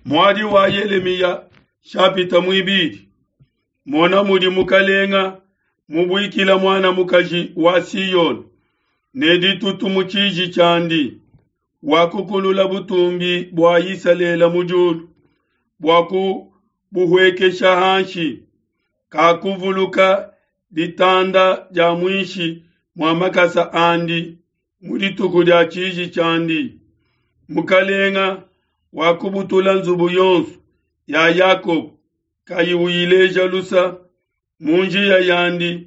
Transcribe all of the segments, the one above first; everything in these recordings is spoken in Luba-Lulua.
Muadi wa Yelemiya shapita muibidi. Mona mudi mukalenga mubuikila muana mukaji wa Siyone ne ditutu mu tshiji tshiandi, wakukulula butumbi bua Isalele mu diulu bua kubuhuekesha hanshi. Kakuvuluka ditanda dia muinshi mua makasa andi mu dituku dia tshiji tshiandi. Mukalenga wakubutula nzubu yonso ya Yakobo kayi uyileja lusa mu njiya yandi,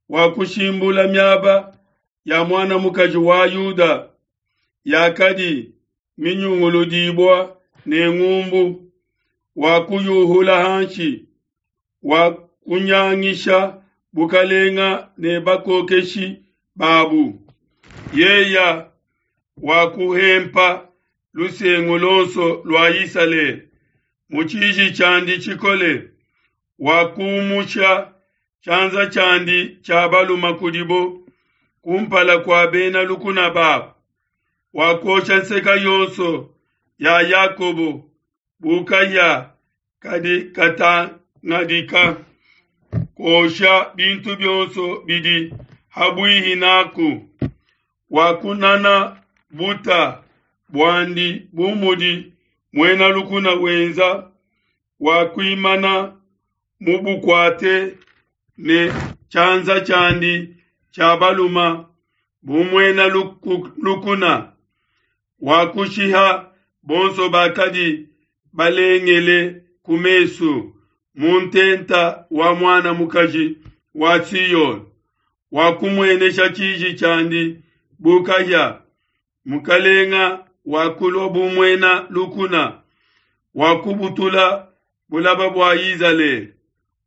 wakushimbula miaba ya muana mukaji wa Yuda yakadi minyunguludibua ne ngumbu, wakuyuhula hanshi, wakunyangisha bukalenga ne bakokeshi babu. Yeya wakuhempa lusengu lonso lua Isalele mu tshiji tshiandi tshikole, wakumusha tshianza tshiandi tshia baluma kudibo kumpala kua bena lukuna babo, wakosha nseka yonso ya Yakobo bu kahia kadi katangadika, kosha bintu bionso bidi habuihi naku. Wakunana buta buandi bu mudi muena lukuna wenza, wakuimana mubukuate ne tshianza tshiandi tshia baluma bu muena lukuna, wakushiha bonso bakadi balengele ku mesu mu ntenta wa muana mukaji wa Siyone, wakumuenesha tshiji tshiandi bu kahia. Mukalenga wakulua bu muena lukuna, wakubutula bulaba bua Izalele,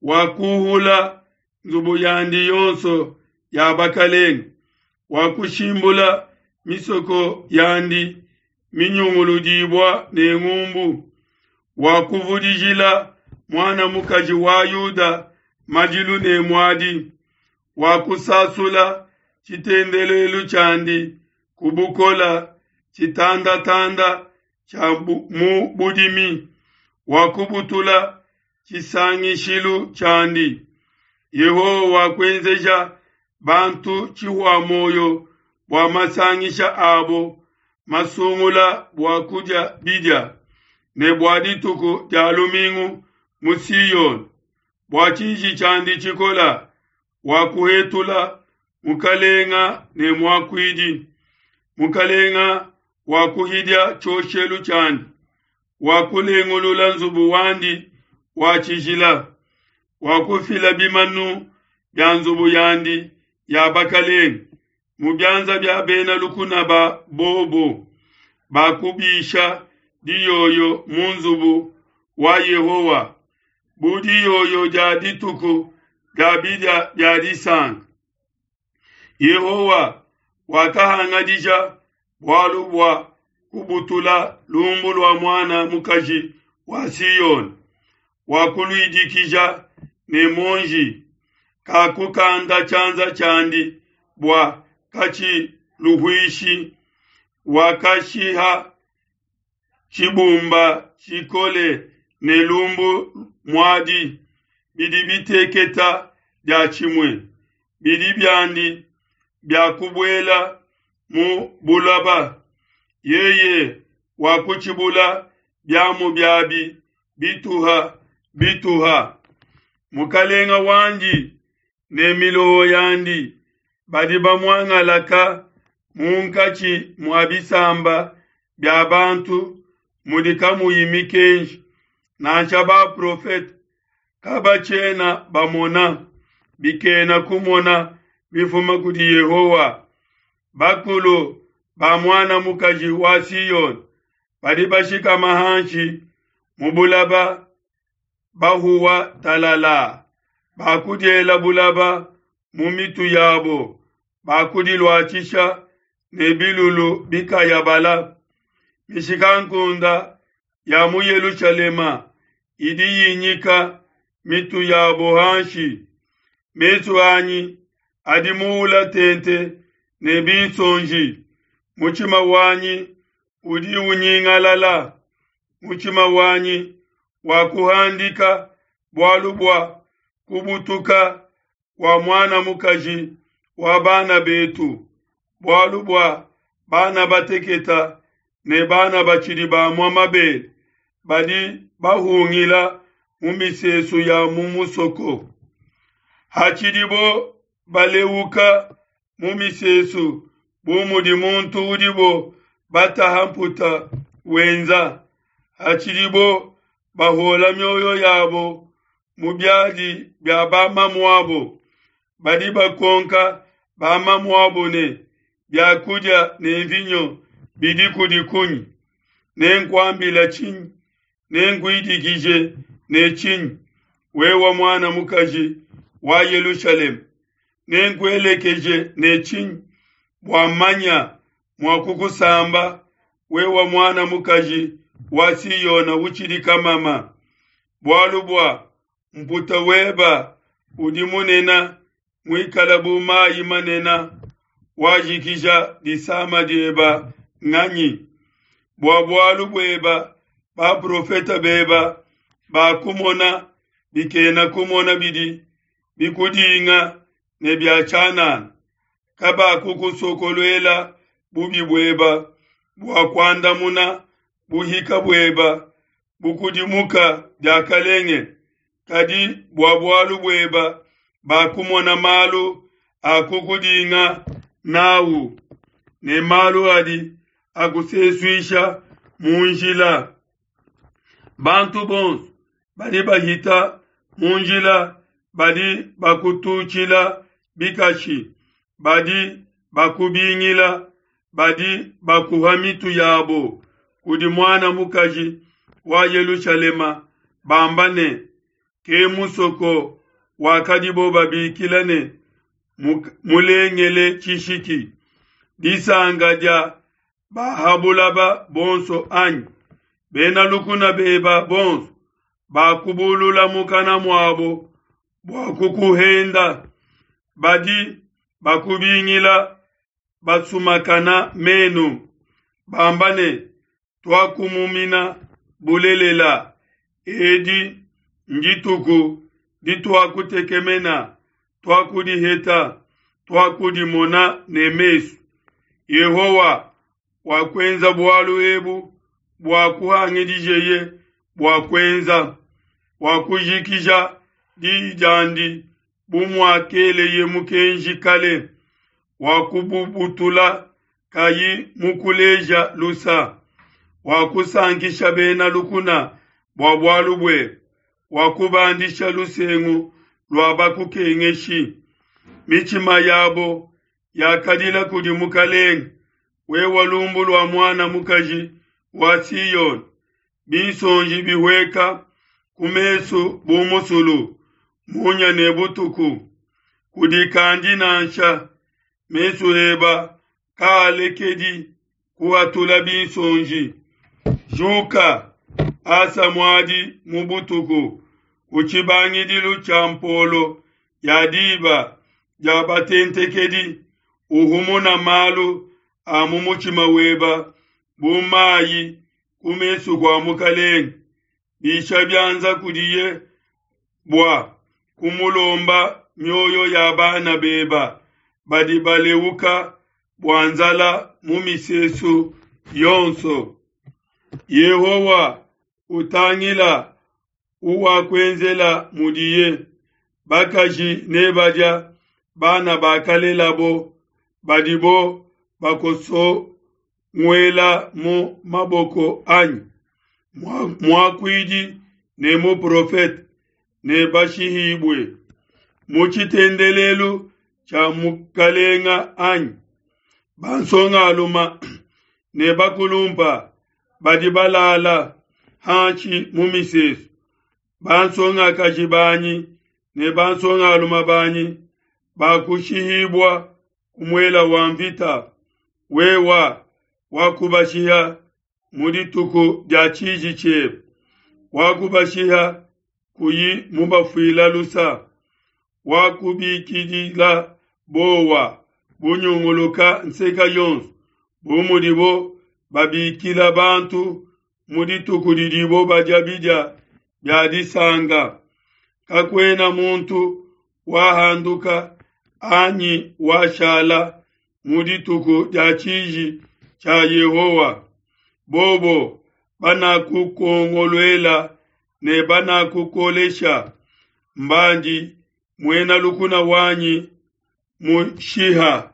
wakuhula nzubu yandi yonso ya bakalenga, wakushimbula misoko yandi minyunguludibua ne ngumbu, wakuvudijila muana mukaji wa Yuda madilu ne muadi, wakusasula tshitendelelu tshiandi ku bukola tshitandatanda tshia mu budimi, wakubutula tshisangishilu tshiandi. Yehowa wakuenzeja bantu tshihua moyo bua masangisha abo masungula bua kudia bidia ne bua dituku dia lumingu mu Siyone, bua tshiji tshiandi tshikola wakuhetula mukalenga ne muakuidi. Mukalenga wakuhidia tshioshelu tshiandi, wakulengulula nzubu wandi wa tshijila, wakufila bimanu bia nzubu yandi ya bakalenga mu bianza bia bena lukuna ba bobo, bakubisha diyoyo mu nzubu wa Yehowa bu diyoyo dia dituku dia bidia bia disanka. Yehowa wakahangadija bualu bua kubutula lumbu lua muana mukaji wa Siyone, wakuluidikija ne monji, kakukanda tshianza tshiandi bua katshiluhuishi, wakashiha tshibumba tshikole ne lumbu muadi bidi biteketa dia tshimue, bidi biandi bia kubuela mu bulaba. Yeye wakutshibula biamu biabi bituha bituha. Mukalenga wandi ne miloho yandi badi bamuangalaka munkatshi mua bisamba bia bantu mudi kamuyi mikenji, nansha baprofete kabatshiena bamona bikena kumona bifuma kudi Yehowa. Bakulu ba muana mukaji wa Siyone badi bashikama hanshi mu bulaba bahuwa talala, bakudiela bulaba mu mitu yabo, bakudiluatshisha ne bilulu bikayabala. Mishikankunde ya mu Yelushalema idi yinyika mitu yabo hanshi. Mesu anyi adi muula tente ne binsonji, mutshima wanyi udi unyingalala. Mutshima wanyi wakuhandika bualu bua kubutuka kua muana mukaji wa bana betu, bualu bua bana bateketa ne bana batshidi bamua mabele badi bahungila mu misesu ya mu musoko. Hatshidibo baleuka mu misesu bu mudi muntu udibo bataha mputa wenza, hatshidibo bahola mioyo yabo mu biadi bia bamamuabo, badi bakonka bamamuabo ne, Bia kudia ne nvinyo bidi kudi kunyi? Nenkuambila tshinyi? Nenkuidikije ne tshinyi, wewe muana mukaji wa Yelushalema? Nenkuelekeje ne tshinyi bua mmanya mua kukusamba, wewe muana mukaji wa Siona utshidi kamama? Bualu bua mputa weba udi munena muikala bu mayi manena, wajikija disama dieba nganyi? Bua bualu bueba baprofete beba bakumona bikena kumona bidi bikudinga ne bia tshianana, kabakukusokoluela bubi bueba bua kuandamuna buhika bueba bukudimuka diakalenge, kadi bua bualu bueba bakumona malu a kukudinga n'au ne malu adi akusesuisha mu njila. Bantu bonso badi bahita mu njila badi bakututshila bikashi, badi bakubingila, badi bakuha mitu yabo kudi muana mukaji wa Yelushalema, bamba ne, Ke musoko wakadibo babikila ne, Mulengele tshishiki, disanka dia ba ha bulaba bonso, anyi? Bena lukuna beba bonso bakubulula mukana muabo bua kukuhenda, badi bakubingila basumakana menu, bamba ne, Tuakumumina bulelela, edi ndituku dituakutekemena, tuakudiheta, tuakudimona ne mesu. Yehowa wakuenza bualu ebu buakuhangidijeye bua kuenza, wakujikija diyi diandi bu muakeleye mukenji kale, wakububutula kayi mukuleja lusa, wakusankisha bena lukuna bua bualu buebe, wakubandisha lusengu lua bakukengeshi. Mitshima yabo yakadila kudi Mukelenge, wewe lumbu lua muana mukaji wa Siona, binsonji bihueka ku mesu bu musulu, munya ne butuku. Kudikandi nansha, mesu eba kaalekedi kuhatula binsonji. Juka, asa muadi mu butuku, ku tshibangidilu tshia mpolo ya diba dia batentekedi, uhumuna malu a mu mutshima weba bu mayi ku mesu kua Mukelenge. Bisha bianza kudiye bua kumulomba mioyo ya bana beba badi baleuka bua nzala mu misesu yonso. Yehowa, utangila uwakuenzela mudiye. Bakaji nebadia bana bakalelabo, badibo bakosonguela mu maboko anyi. Muakuidi ne muprofete nebashihibue mu tshitendelelu tshia mukalenga anyi. Bansongaluma ne bakulumpa badi balala hanshi mu misesu, bansongakaji banyi ne bansongaluma banyi bakushihibua ku muela wa mvita. Wewa wakubashiha mu dituku dia tshiji tshiebe, wakubashiha kuyi mubafuila lusa, wakubikidila bowa bunyunguluka nseka yonso, bu mudibo babikila bantu. mu dituku didibo badia bidia bia disanka. Kakuena muntu wahanduka anyi washala mu dituku dia tshiji tshia Yehowa. Bobo banakukuongoluela ne banakukolesha, mbandi muena lukuna wanyi mushiha.